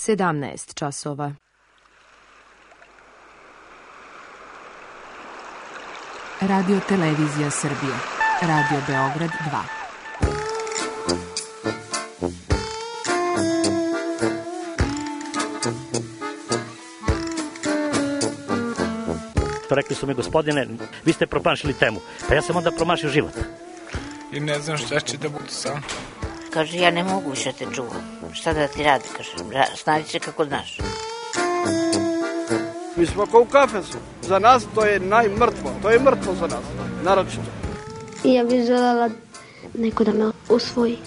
17 časova. Radio Televizija Srbije. Radio Beograd 2. Rekli su mi, gospodine, vi ste promašili temu. Pa ja sam onda promašio život. I ne znam šta će da bude sam. Kaže, ja ne mogu više te čuvam. Šta da ti radi, kaže, snađi se kako znaš. Mi smo kao u kafesu. Za nas to je najmrtvo. To je mrtvo za nas, naročito. I ja bih željela neko da me usvoji.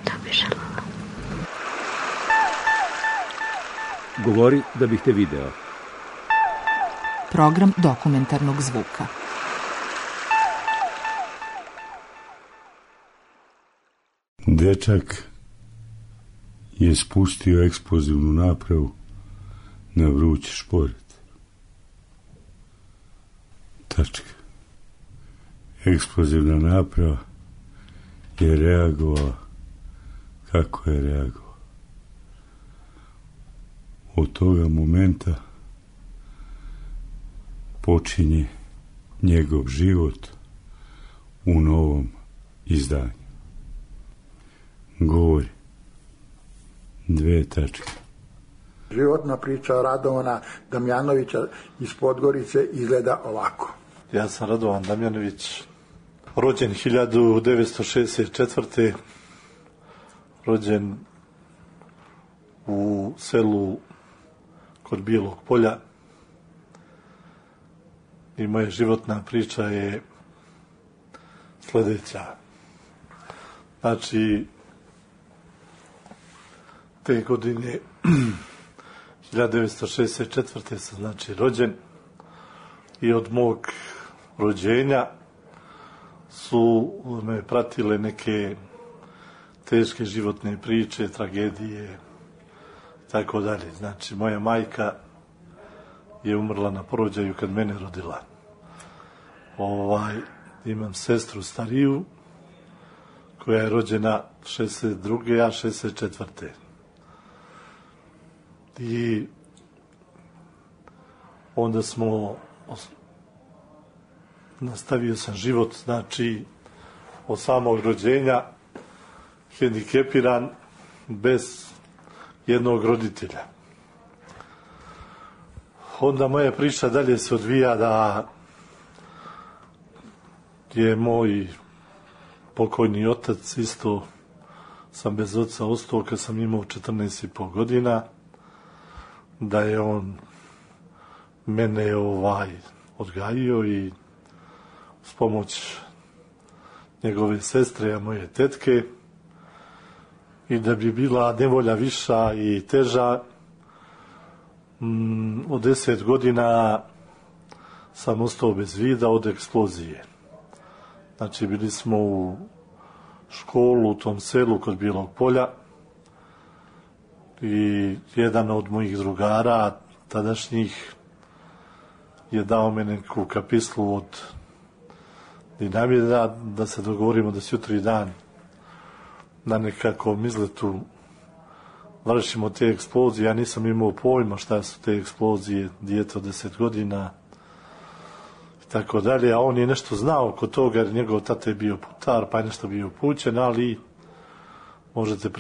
To bih željela. Govori da bih te video. Program dokumentarnog zvuka. Dečak je spustio eksplozivnu napravu na vrući šporet. Tačka. Eksplozivna naprava je reagovala kako je reagovala. Od toga momenta počinje njegov život u novom izdanju. Govori. 2 tačke. Životna priča Radovana Damjanovića iz Podgorice izgleda ovako. Ja sam Radovan Damjanović, rođen 1964. Rođen u selu kod Bijelog Polja. I moja životna priča je sljedeća. Znači, te godine 1964. sam znači rođen i od mog rođenja su me pratile neke teške životne priče, tragedije, tako dalje. Znači, moja majka je umrla na porođaju kad mene rodila. Imam sestru stariju koja je rođena 62. a 64. I onda nastavio sam život, znači od samog rođenja hendikepiran bez jednog roditelja. Onda moja priča dalje se odvija da je moj pokojni otac, isto sam bez oca ostao kad sam imao 14,5 godina, da je on mene odgajio i s pomoć njegove sestre, a moje tetke, i da bi bila nevolja viša i teža, od 10 godina sam ostao bez vida od eksplozije. Znači, bili smo u školu u tom selu kod Bijelog Polja i jedan od mojih drugara tadašnjih je dao me neku kapislu od dinamita da se dogovorimo da jutri dan na nekakvom izletu vršimo te eksplozije. Ja nisam imao pojma šta su te eksplozije, dijete od 10 godina i tako dalje, a on je nešto znao kod toga jer njegov tata je bio putar pa je nešto bio upućen, ali možete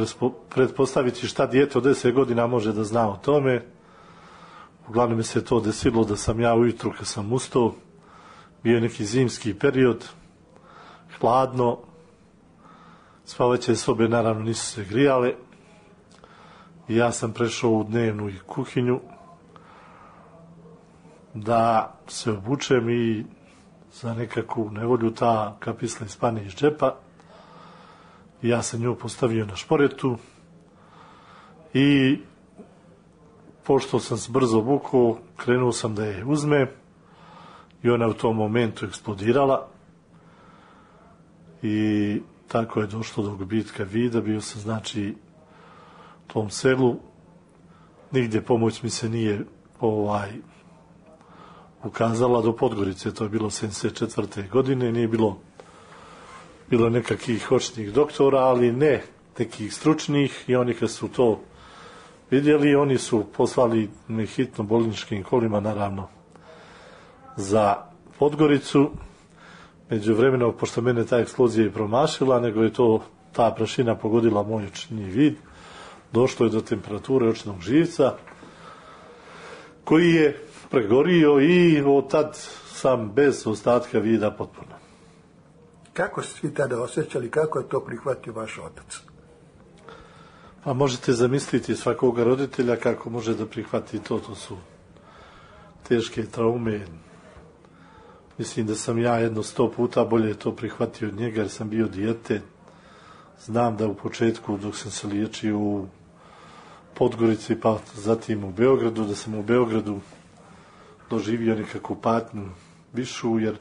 pretpostaviti šta dijete od 10 godina može da zna o tome. Uglavnom mi se to desilo da sam ja ujutru kad sam ustao, bio neki zimski period, hladno, spavaće sobe naravno nisu se grijale i ja sam prešao u dnevnu i kuhinju da se obučem i za nekakvu nevolju ta kapisla ispane iz džepa i ja sam nju postavio na šporetu i pošto sam se brzo obukao, krenuo sam da je uzmem i ona u tom momentu eksplodirala i tako je došlo do gubitka vida. Bio sam znači u tom selu, nigdje pomoć mi se nije ukazala do Podgorice, to je bilo 74. godine, nije bilo nekakvih očnih doktora, ali ne nekih stručnih, i oni kad su to vidjeli. Oni su poslali me hitno bolničkim kolima, naravno, za Podgoricu. Međuvremeno, pošto mene ta eksplozija je promašila, nego je ta prašina pogodila moj očni vid, došlo je do temperature očnog živca, koji je pregorio i od tad sam bez ostatka vida potpuno. Kako ste svi tada osjećali, kako je to prihvatio vaš otac? Pa možete zamisliti svakoga roditelja kako može da prihvati to su teške traume. Mislim da sam ja 100 puta bolje to prihvatio od njega jer sam bio dijete. Znam da u početku dok sam se liječio u Podgorici pa zatim u Beogradu, da sam u Beogradu doživio nekakvu patnju višu jer u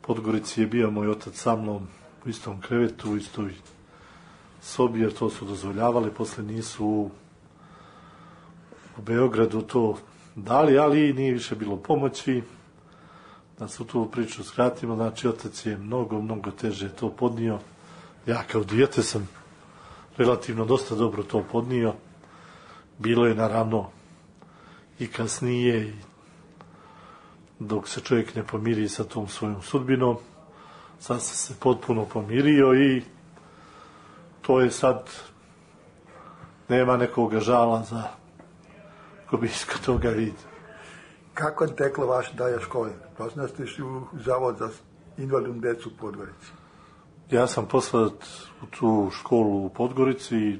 Podgorici je bio moj otac sa mnom u istom krevetu, u istoj sobi jer to su dozvoljavali, posle nisu u Beogradu to dali, ali nije više bilo pomoći. Da su tu priču skratimo, znači otac je mnogo teže to podnio. Ja kao dijete sam relativno dosta dobro to podnio. Bilo je naravno i kasnije, dok se čovjek ne pomiri sa tom svojom sudbinom. Sad sam se potpuno pomirio i to je sad, nema nekoga žala za ko bi iskao toga vidio. Kako je teklo vaše dalje škole? Poslije ste išli u Zavod za invalidnu decu u Podgorici. Ja sam poslat u tu školu u Podgorici i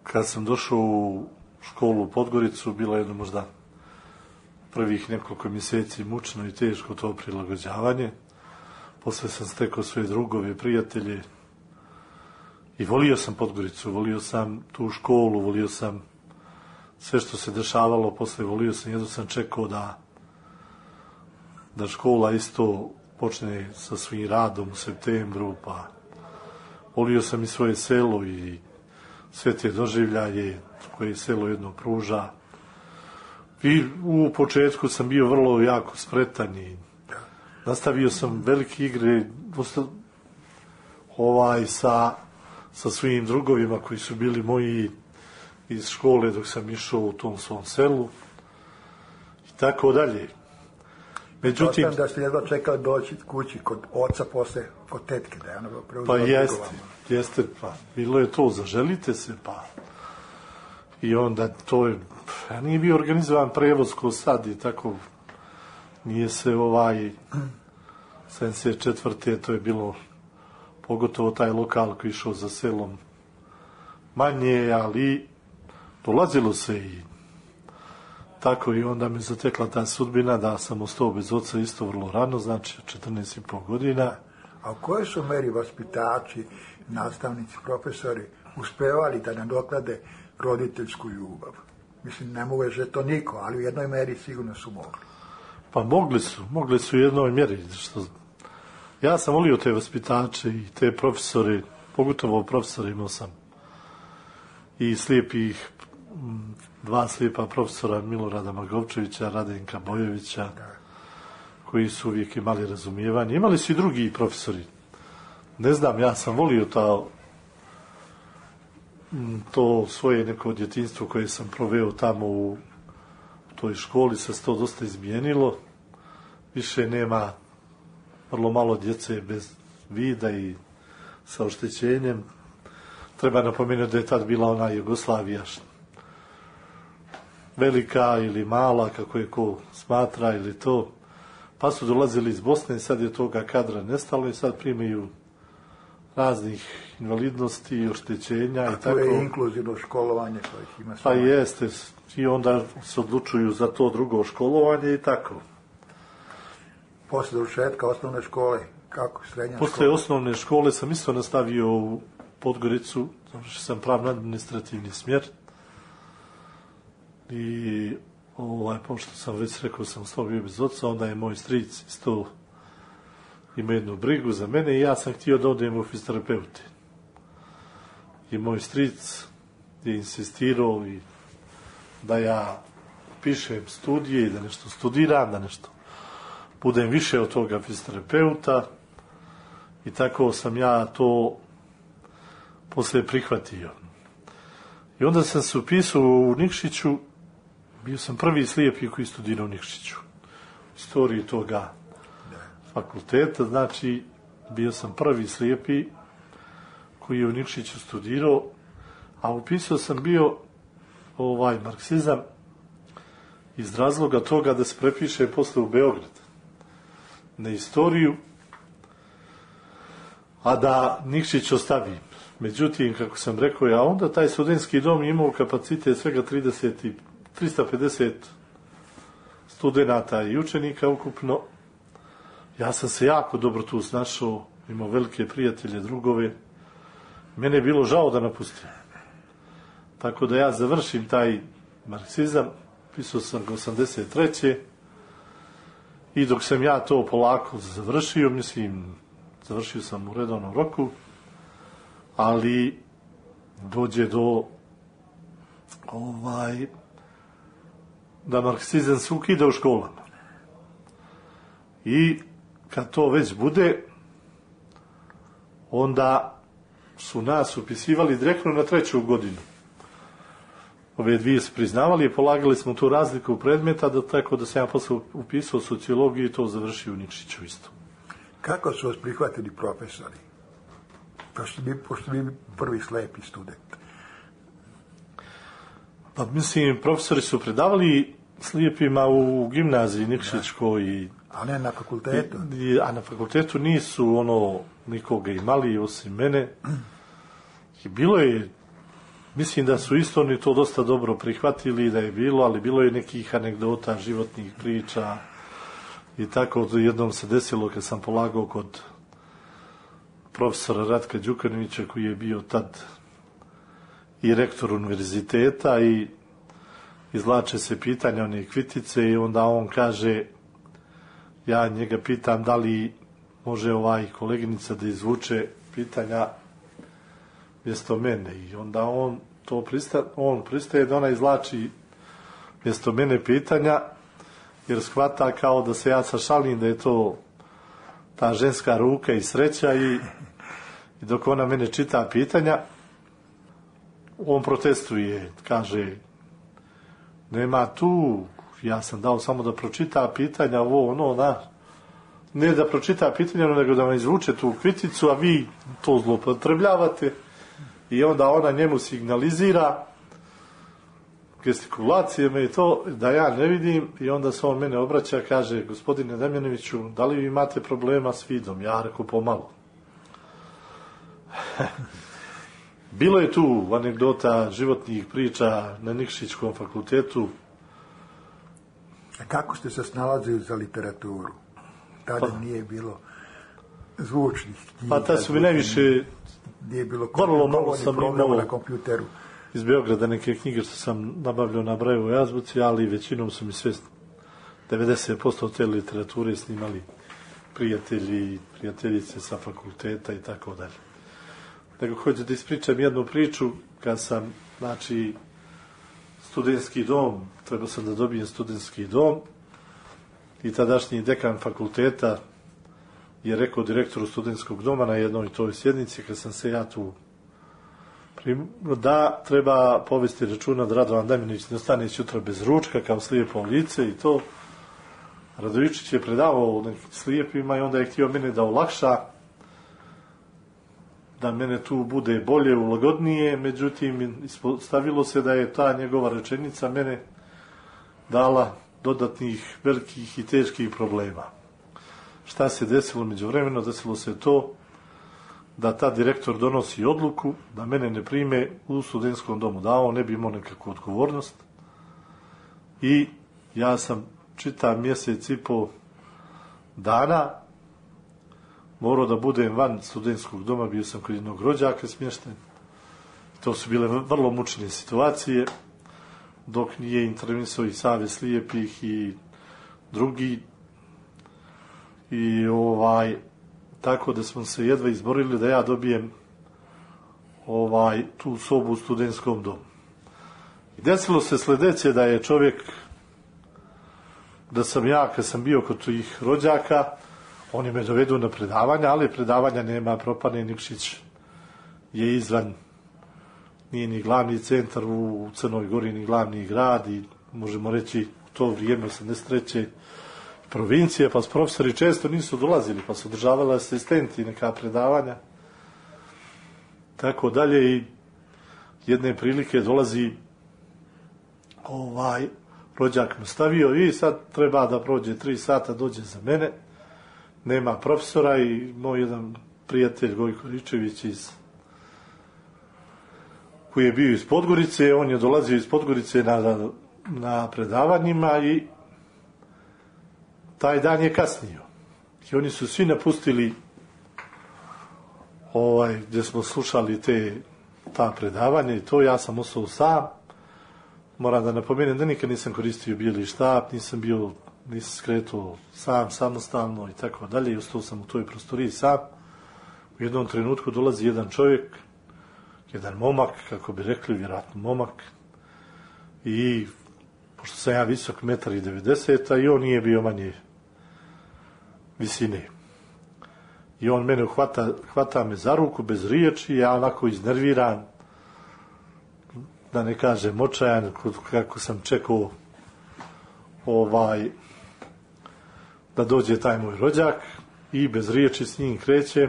kad sam došao u školu u Podgoricu, bilo jedno možda prvih nekoliko mjeseci mučno i teško to prilagođavanje. Posle sam stekao svoje drugove, prijatelje i volio sam Podgoricu, volio sam tu školu, volio sam sve što se dešavalo, posle volio sam, jedno sam čekao da škola isto počne sa svim radom u septembru, pa volio sam i svoje selo i sve te doživljaje koje selo jedno pruža. I u početku sam bio vrlo jako spretan i nastavio sam velike igre sa svim drugovima koji su bili moji iz škole dok sam išao u tom svom selu i tako dalje. Međutim, da ste jedva čekali doći kući kod oca posle, kod tetke, da je ono preuzela. Pa jeste, pa bilo je to, zaželite se, pa i onda to je, nije bio organizovan prevoz ko sad i tako, nije se 74. to je bilo, pogotovo taj lokal koji išao za selom manje, ali dolazilo se i tako i onda mi zatekla ta sudbina da sam ostao bez oca isto vrlo rano, znači 14,5 godina. A u kojoj su meri vaspitači, nastavnici, profesori uspevali da nadoklade roditeljsku ljubav? Mislim, ne može to niko, ali u jednoj meri sigurno su mogli. Pa mogli su u jednoj mjeri. Ja sam volio te vaspitače i te profesore, pogotovo profesore imao sam i slijepih, 2 slijepa profesora, Milorada Magovčevića, Radenka Bojevića, koji su uvijek imali razumijevanje. Imali su i drugi profesori. Ne znam, ja sam volio to svoje neko djetinjstvo koje sam proveo tamo u toj školi, se to dosta izmijenilo. Više nema, vrlo malo djece bez vida i sa oštećenjem. Treba napomenuti da je tad bila ona Jugoslavija velika ili mala, kako je ko smatra ili to. Pa su dolazili iz Bosne, sad je toga kadra nestalo i sad primaju raznih invalidnosti i oštećenja. A i tako. To je inkluzivno školovanje kojih ima Pa jeste, i onda se odlučuju za to drugo školovanje i tako. Posle završetka osnovne škole, kako srednja škola? Posle osnovne škole sam isto nastavio u Podgoricu, završio sam pravno-administrativni smjer i pošto sam već rekao sam ostao bio bez oca, onda je moj stric isto ima jednu brigu za mene i ja sam htio da odem u fizioterapeuti. I moj stric je insistirao i da ja pišem studije i da nešto studiram, da nešto budem više od toga fizioterapeuta i tako sam ja to poslije prihvatio. I onda sam se upisao u Nikšiću, bio sam prvi slijepi koji studirao u Nikšiću. Istoriji toga fakulteta, znači bio sam prvi slijepi koji je u Nikšiću studirao, a upisao sam bio marksizam iz razloga toga da se prepiše posle u Beograd na istoriju, a da Nikšić ostavi. Međutim, kako sam rekao, a onda taj studentski dom imao kapacitet svega 350 studenata i učenika ukupno. Ja sam se jako dobro tu snašao, imao velike prijatelje, drugove. Mene je bilo žao da napustim. Tako da ja završim taj marksizam, pisao sam ga 83. I dok sam ja to polako završio, završio sam u redovnom roku, ali dođe do da marksizam se ukida u školama. I kad to već bude, onda su nas upisivali direktno na 3. godinu. Ove dvije su priznavali i polagali smo tu razliku predmeta, tako da sam ja posle upisao sociologiju i to završio u Nikšiću isto. Kako su vas prihvatili profesori? Pošto bi prvi slepi student. Pa profesori su predavali slijepima u gimnaziji Nikšićkoj. A ne na fakultetu? A na fakultetu nisu nikoga imali osim mene. I bilo je, mislim da su isto oni to dosta dobro prihvatili da je bilo, ali bilo je nekih anegdota, životnih priča i tako. Jednom se desilo kad sam polagao kod profesora Ratka Đukanovića, koji je bio tad i rektor univerziteta, i izvlače se pitanja one kvitice i onda on kaže, ja njega pitam da li može koleginica da izvuče pitanja mjesto mene, i onda on pristaje da ona izvlači mjesto mene pitanja, jer shvata kao da se ja sašalim da je to ta ženska ruka i sreća, i dok ona mene čita pitanja, on protestuje, kaže, nema tu, ja sam dao samo da pročita pitanja, ne da pročita pitanja, nego da vam izvuče tu kviticu, a vi to zloupotrebljavate. I onda ona njemu signalizira gestikulacijama i to, da ja ne vidim, i onda se on mene obraća, kaže, gospodine Damjanoviću, da li vi imate problema s vidom? Ja reku, pomalo. Bilo je tu anegdota, životnih priča na Nikšićkom fakultetu. A kako ste se snalazili za literaturu? Tada nije bilo zvučnih knjiga. Pa tada su mi najviše, vrlo malo sam imao na kompjuteru. Iz Beograda neke knjige što sam nabavljao na Brajevoj azbuci, ali većinom su mi sve 90% te literature snimali prijatelji, prijateljice sa fakulteta i tako dalje. Nego hoću da ispričam jednu priču, kad sam, studentski dom, trebao sam da dobijem studentski dom, i tadašnji dekan fakulteta je rekao direktoru studentskog doma na jednoj toj sjednici, kad sam se ja tu da treba povesti računa da Radovan Damjanović ne ostane sutra bez ručka kao slijepo lice i to. Radovičić je predavao nekim slijepima i onda je htio mene da olakša, da mene tu bude bolje, ulagodnije, međutim stavilo se da je ta njegova rečenica mene dala dodatnih velikih i teških problema. Šta se desilo međuvremeno? Desilo se to da ta direktor donosi odluku da mene ne prime u studentskom domu, da on ne bi imao nekakvu odgovornost, i ja sam čitav mjesec i po dana morao da budem van studentskog doma, bio sam kod jednog rođaka smješten. To su bile vrlo mučne situacije, dok nije intervenisao i Savez slijepih i drugi, i tako da smo se jedva izborili da ja dobijem tu sobu u studentskom domu. I desilo se sljedeće, da je čovjek, da sam ja, kad sam bio kod tih rođaka, oni me dovedu na predavanja, ali predavanja nema, propane, Nikšić je nije ni glavni centar u Crnoj Gori, ni glavni grad i možemo reći u to vrijeme 83. provincije, pa profesori često nisu dolazili, pa su održavali asistenti neka predavanja. Tako dalje i jedne prilike dolazi rođak mu stavio i sad treba da prođe 3 sata, dođe za mene, nema profesora i moj jedan prijatelj Gojko Ričević koji je bio iz Podgorice, on je dolazio iz Podgorice na predavanjima i taj dan je kasnio. I oni su svi napustili gdje smo slušali ta predavanja i to, ja sam ostao sam. Moram da napomenem da nikad nisam koristio bijeli štap, nisam skretao sam, samostalno i tako dalje i ostao sam u toj prostoriji sam. U jednom trenutku dolazi jedan čovjek, jedan momak, kako bi rekli, vjerojatno momak, i pošto sam ja visok 1,90 m i on nije bio manje visine. I on mene hvata me za ruku bez riječi, ja onako iznerviran, da ne kažem očajan, kako sam čekao da dođe taj moj rođak i bez riječi s njim kreće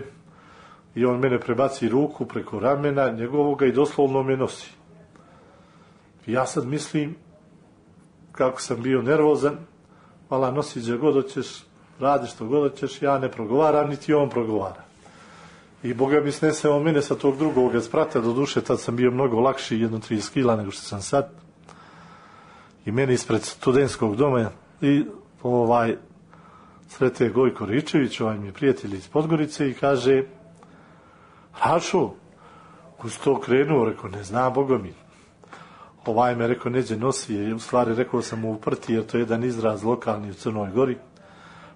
i on mene prebaci ruku preko ramena njegovoga i doslovno me nosi. I ja sad mislim, kako sam bio nervozan, vala nosi gdje god hoćeš, radi što god hoćeš, ja ne progovaram, niti on progovara. I Boga mi sneseo mene sa tog drugog sprata, do duše tad sam bio mnogo lakši, 30 kila nego što sam sad. I meni ispred studentskog doma i srete Gojko Ričević, mi je prijatelj iz Podgorice i kaže: Rašo, ko si to krenuo? Rekao, ne znam, Boga mi. Me, rekao, neđe nosi, u stvari rekao sam mu uprti, jer to je jedan izraz lokalni u Crnoj Gori.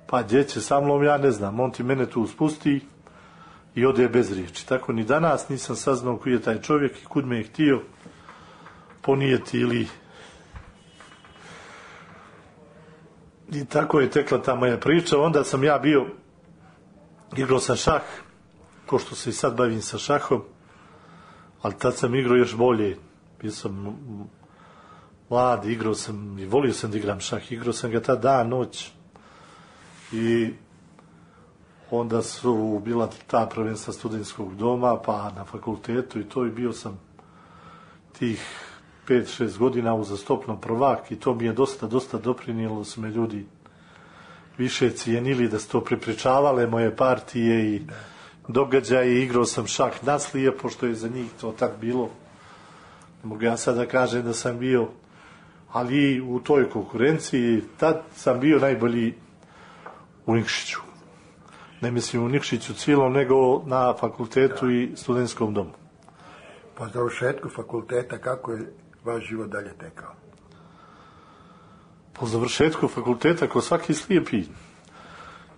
Pa gdje će sa mnom, ja ne znam, on ti mene tu spusti i ode bez riječi. Tako ni danas nisam saznao koji je taj čovjek i kud me je htio ponijeti ili... I tako je tekla ta moja priča. Onda sam ja igrao sam šah, ko što se i sad bavim sa šahom, ali tad sam igrao još bolje. Bio sam mlad, igrao sam i volio sam da igram šah. Igrao sam ga tad dan, noć. I onda su bila ta prvenstva studentskog doma, pa na fakultetu i to, i bio sam tih 5-6 godina uzastopno prvak i to mi je dosta doprinijelo, su me ljudi više cijenili, da su to prepričavale moje partije i događaje. Igrao sam šah naslije, pošto je za njih to tak bilo. Ne mogu ja sad da kažem da sam bio, ali u toj konkurenciji tad sam bio najbolji u Nikšiću. Ne mislim u Nikšiću cijelom, nego na fakultetu i studentskom domu. Po završetku fakulteta, kako je vaš život dalje tekao? Po završetku fakulteta, ko svaki slijepi,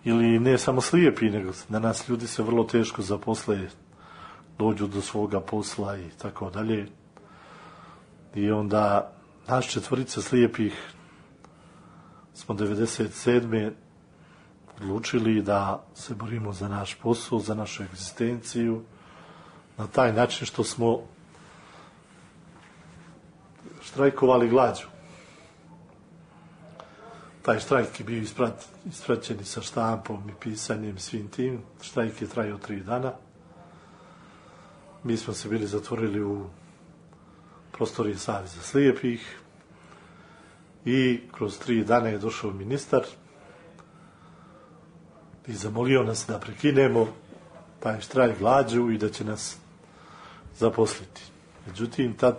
ili ne samo slijepi, nego danas ljudi se vrlo teško zaposle, dođu do svoga posla i tako dalje. I onda naš 4 slijepih smo 97. odlučili da se borimo za naš posao, za našu egzistenciju, na taj način što smo štrajkovali glađu. Taj štrajk je bio ispraćen i sa štampom i pisanjem, svim tim. Štrajk je trajao 3 dana. Mi smo se bili zatvorili u prostoriji Saveza slijepih i kroz 3 dana je došao ministar i zamolio nas da prekinemo taj štrajk glađu i da će nas zaposliti. Međutim, tad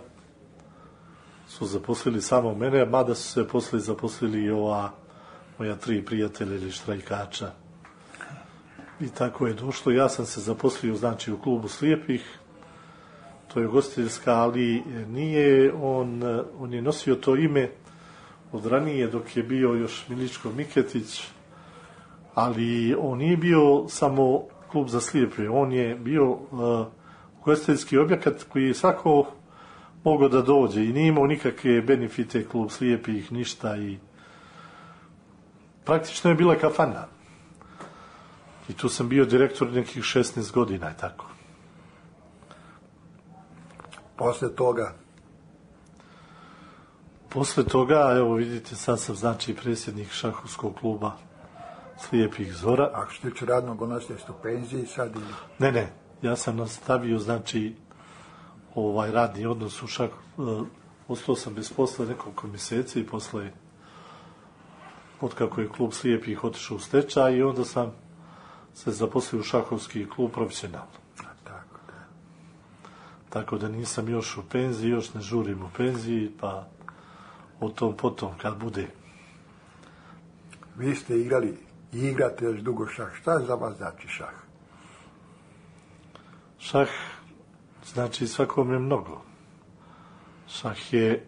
su zaposlili samo mene, mada su se poslije zaposlili i ova moja 3 prijatelja ili štrajkača. I tako je došlo. Ja sam se zaposlio, znači, u klubu slijepih. To je ugostiteljska, ali nije, on je nosio to ime od ranije, dok je bio još Miličko Miketić, ali on nije bio samo klub za slijepe, on je bio ugostiteljski objekat koji je svako mogao da dođe i nije imao nikakve benefite klub slijepih, ništa, i praktično je bila kafana. I tu sam bio direktor nekih 16 godina i tako. Posle toga? Posle toga, evo vidite, sad sam znači predsjednik šahovskog kluba Slijepih Zora. Ako što tiče radnog odnosa, jeste u penziji sad ili? Ne, ja sam nastavio znači radni odnos u ostao sam bez posla nekoliko mjeseci i posle otkako je klub Slijepih otišao u stečaj i onda sam se zaposlio u šahovski klub profesionalno. Tako da nisam još u penziji, još ne žurim u penziji, pa o tom potom kad bude. Vi ste igrali i igrate još dugo šah. Šta za vas znači šah? Šah znači svakome mnogo. Šah je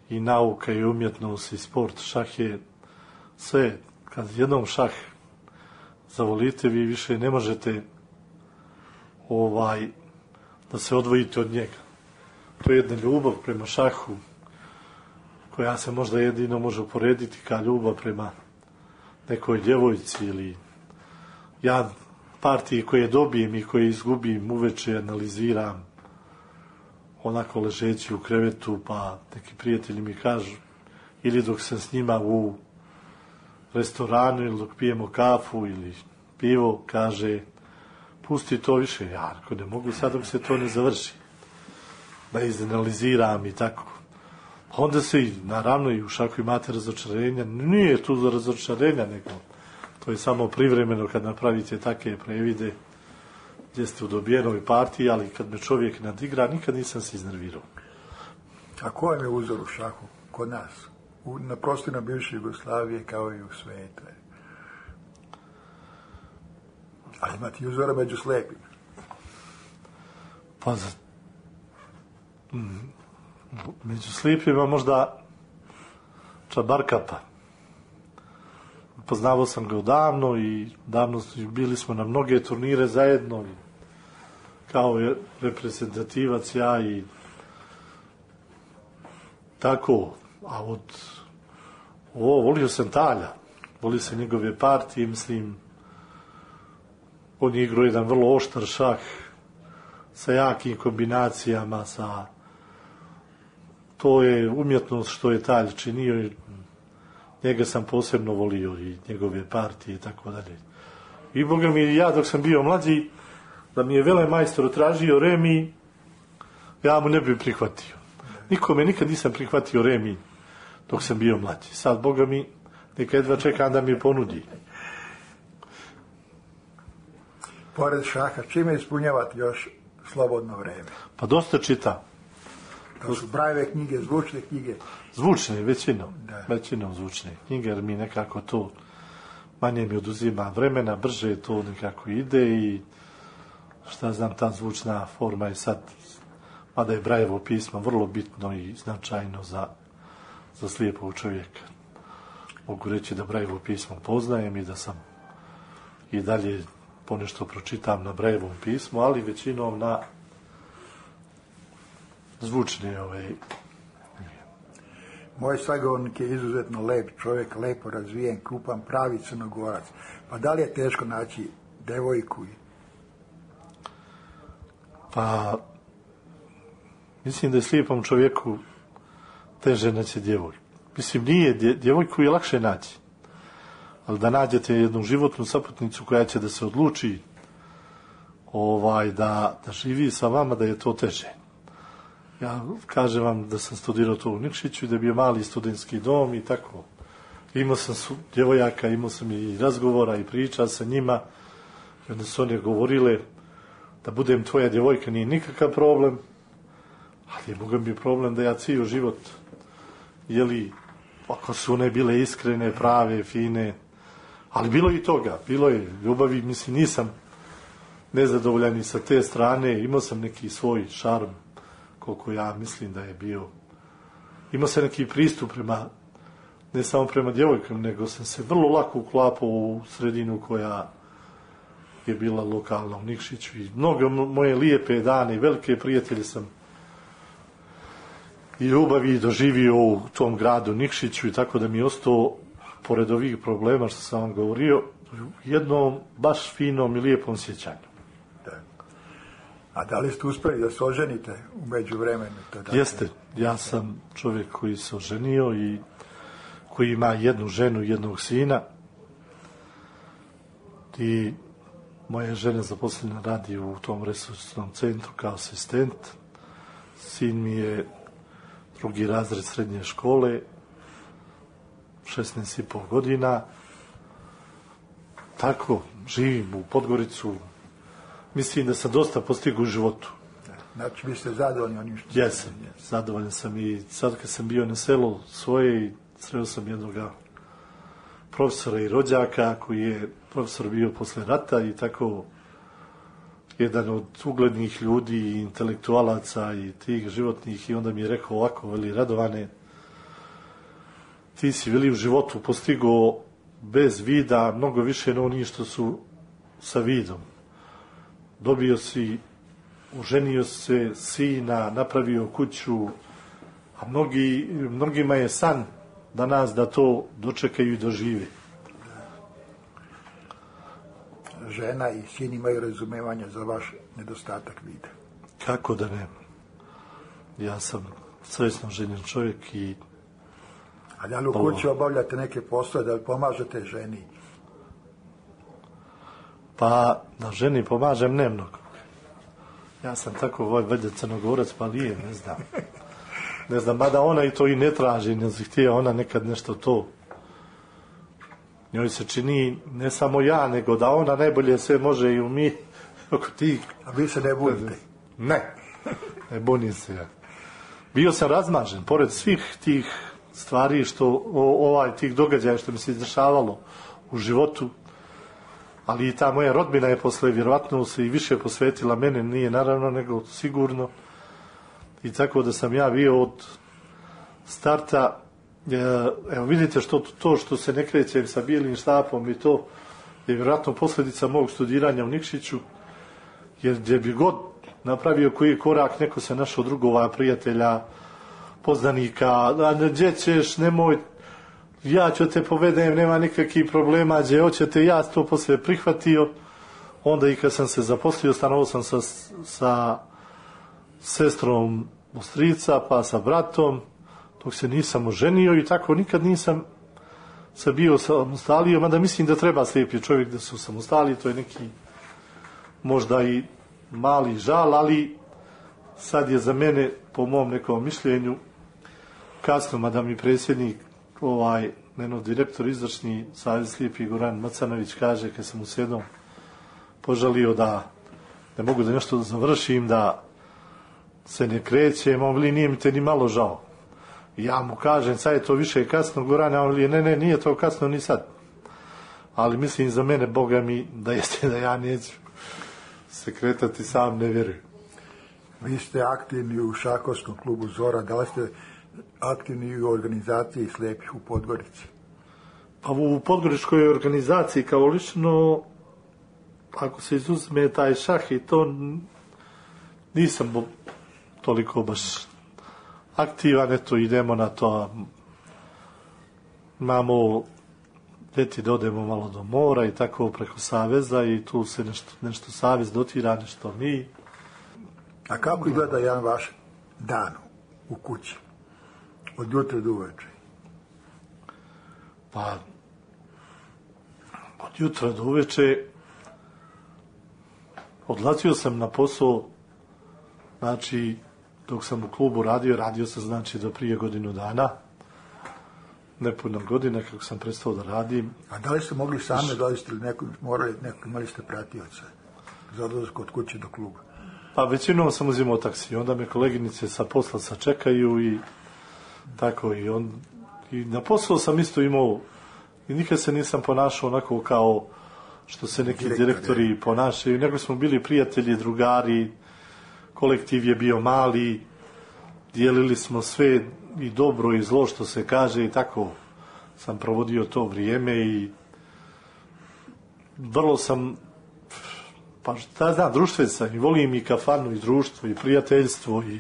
i nauka i umjetnost i sport. Šah je sve. Kad jednom šah zavolite, vi više ne možete da se odvojite od njega. To je jedna ljubav prema šahu koja se možda jedino može uporediti kao ljubav prema nekoj djevojci ili ja partije koje dobijem i koje izgubim uveče analiziram onako ležeći u krevetu, pa neki prijatelji mi kažu ili dok sam s njima u restoranu ili dok pijemo kafu ili pivo, kaže pusti to više, ja ako ne mogu sad dok se to ne završi da izanaliziram i tako. Onda se naravno i u šahu imate razočarenja, nije tu za razočarenja, nego to je samo privremeno kad napravite takve previde gdje ste u dobijenoj partiji, ali kad me čovjek nadigra, nikad nisam se iznervirao. A ko vam je uzor u šahu kod nas? Na prostorima bivše Jugoslavije kao i u svijetu. Ali imate uzora među slepima. Pa među slijepima možda Čabarkapa. Poznavao sam ga odavno i davno bili smo na mnoge turnire zajedno kao reprezentativac ja i tako. A volio sam Talja, volio sam njegove partije, mislim on je igrao jedan vrlo oštar šah sa jakim kombinacijama, to je umjetnost što je Talj činio i njega sam posebno volio i njegove partije i tako dalje. I boga mi, ja dok sam bio mlađi, da mi je velemajstor tražio remi, ja mu ne bi prihvatio. Nikome nikad nisam prihvatio remi dok sam bio mlađi. Sad, boga mi, neka jedva čekam da mi ponudi. Pored šaha, čime ispunjavate još slobodno vreme? Pa dosta čitam. To su brajeve knjige, zvučne knjige? Zvučne, većinom zvučne knjige, jer mi nekako to manje mi oduzima vremena, brže to nekako ide i šta znam, ta zvučna forma je sad, mada je Brajevo pismo vrlo bitno i značajno za slijepog čovjeka. Mogu reći da Brajevo pismo poznajem i da sam i dalje ponešto pročitam na Brajevom pismu, ali većinom na zvučne Moj sagovornik je izuzetno lep čovjek, lepo razvijen, krupan, pravi Crnogorac. Pa da li je teško naći devojku? Pa, mislim da je slijepom čovjeku teže naći djevojku. Mislim, nije, djevojku je lakše naći. Ali da nađete jednu životnu saputnicu koja će da se odluči da živi sa vama, da je to teže. Ja kažem vam da sam studirao to u Nikšiću i da je bio mali studentski dom i tako. Imao sam djevojaka, imao sam i razgovora i priča sa njima. I onda su one govorile da budem tvoja djevojka nije nikakav problem, ali je mogu mi problem da ja cijel život, ako su one bile iskrene, prave, fine, ali bilo i toga, bilo je ljubavi, mislim nisam nezadovoljan i sa te strane, imao sam neki svoj šarm, koliko ja mislim da je bio. Imao sam neki pristup ne samo prema djevojkama, nego sam se vrlo lako uklapao u sredinu koja je bila lokalna u Nikšiću i mnoge moje lijepe dane i velike prijatelje sam i ljubavi doživio u tom gradu Nikšiću i tako da mi je ostao, pored ovih problema što sam vam govorio, jednom baš finom i lijepom sjećanju. A da li ste uspeli da se oženite u međuvremenu? Jeste, ja sam čovjek koji se oženio i koji ima jednu ženu i jednog sina. I moja žena zaposlena radi u tom resursnom centru kao asistent. Sin mi je 2. razred srednje škole, 16,5 godina. Tako, živim u Podgoricu. Mislim da sam dosta postigao u životu. Znači, vi ste zadovoljni onim što... Jesam, zadovoljan sam i sad kad sam bio na selu svoje i sreo sam jednog profesora i rođaka koji je profesor bio posle rata i tako jedan od uglednih ljudi i intelektualaca i tih životnih i onda mi je rekao ovako, veli Radovane, ti si veli u životu postigao bez vida mnogo više no oni što su sa vidom. Dobio si, oženio se, sina, napravio kuću, a mnogima je san danas da to dočekaju i dožive. Žena i sin imaju razumevanja za vaš nedostatak vida. Kako da ne? Ja sam svesno ženjen čovjek i... A da li u kući obavljate neke poslove, da li pomažete ženi? Pa, da ženi pomažem ne mnogo. Ja sam tako valjda Crnogorac, pa nije, ne znam. Ne znam, mada ona i to i ne traži, ne zahtija ona nekad nešto to. Njoj se čini ne samo ja, nego da ona najbolje sve može i umi oko tih. A vi se ne bunite? Ne, ne bunim se ja. Bio sam razmažen, pored svih tih stvari što, tih događaja što mi se izdešavalo u životu, ali i ta moja rodbina je posle vjerovatno se i više posvetila mene, nije naravno, nego sigurno. I tako da sam ja bio od starta, evo vidite što se ne krećem sa bijelim štapom i to je vjerojatno posljedica mog studiranja u Nikšiću, jer gdje bi god napravio koji korak, neko se našao drugova, prijatelja, poznanika, gdje ćeš, nemoj, ja ću te povedem, nema nikakvih problema, gdje hoćete, ja to poslije prihvatio. Onda i kad sam se zaposlio, stanovao sam sa sestrom strica, pa sa bratom, dok se nisam oženio i tako nikad nisam se bio samostalio, mada mislim da treba slijepi čovjek da su samostali, to je neki možda i mali žal, ali sad je za mene, po mom nekom mišljenju, kasno, mada mi predsjednik, direktor izvršni Savez slijepih Goran Macanović kaže, kad sam mu se jednom požalio da ne mogu da nešto završim, da se ne krećem, on veli, nije mi te ni malo žao. Ja mu kažem, sad je to više kasno, Goran, a on veli, ne, nije to kasno ni sad. Ali mislim za mene, Boga mi, da jeste da ja neću se kretati, sam ne vjerujem. Vi ste aktivni u šahovskom klubu Zora, da li ste aktivni u organizaciji slijepih u Podgorici? Pa u podgoričkoj organizaciji kao lično, ako se izuzme taj šah i to, nisam toliko baš aktivan, eto idemo na to, imamo ljeti da odemo malo do mora i tako preko saveza i tu se nešto savez dotira, nešto mi. A kako izgleda jedan vaš dan u kući? Od jutra do uveče? Pa, od jutra do uveče odlazio sam na posao, znači, dok sam u klubu radio sam, znači, do prije godinu dana, nepuno godine kako sam prestao da radim. A da li ste mogli sami dolaziti ili imali ste pratioca za odlazak od kuće do kluba? Pa većinom sam uzimao taksi, onda me koleginice sa posla sačekaju i tako i na poslu sam isto imao i nikad se nisam ponašao onako kao što se neki direktori ponašaju, nego smo bili prijatelji, drugari, kolektiv je bio mali, dijelili smo sve i dobro i zlo što se kaže i tako sam provodio to vrijeme i vrlo sam, pa šta znam, društven sam i volim i kafanu i društvo i prijateljstvo i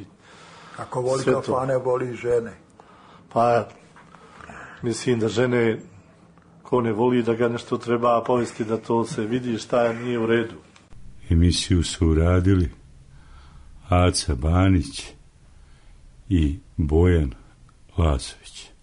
ako voli kafane, voli žene. Pa mislim da žene, ko ne voli da ga nešto treba povesti da to se vidi šta nije u redu. Emisiju su uradili Aca Banić i Bojan Lazović.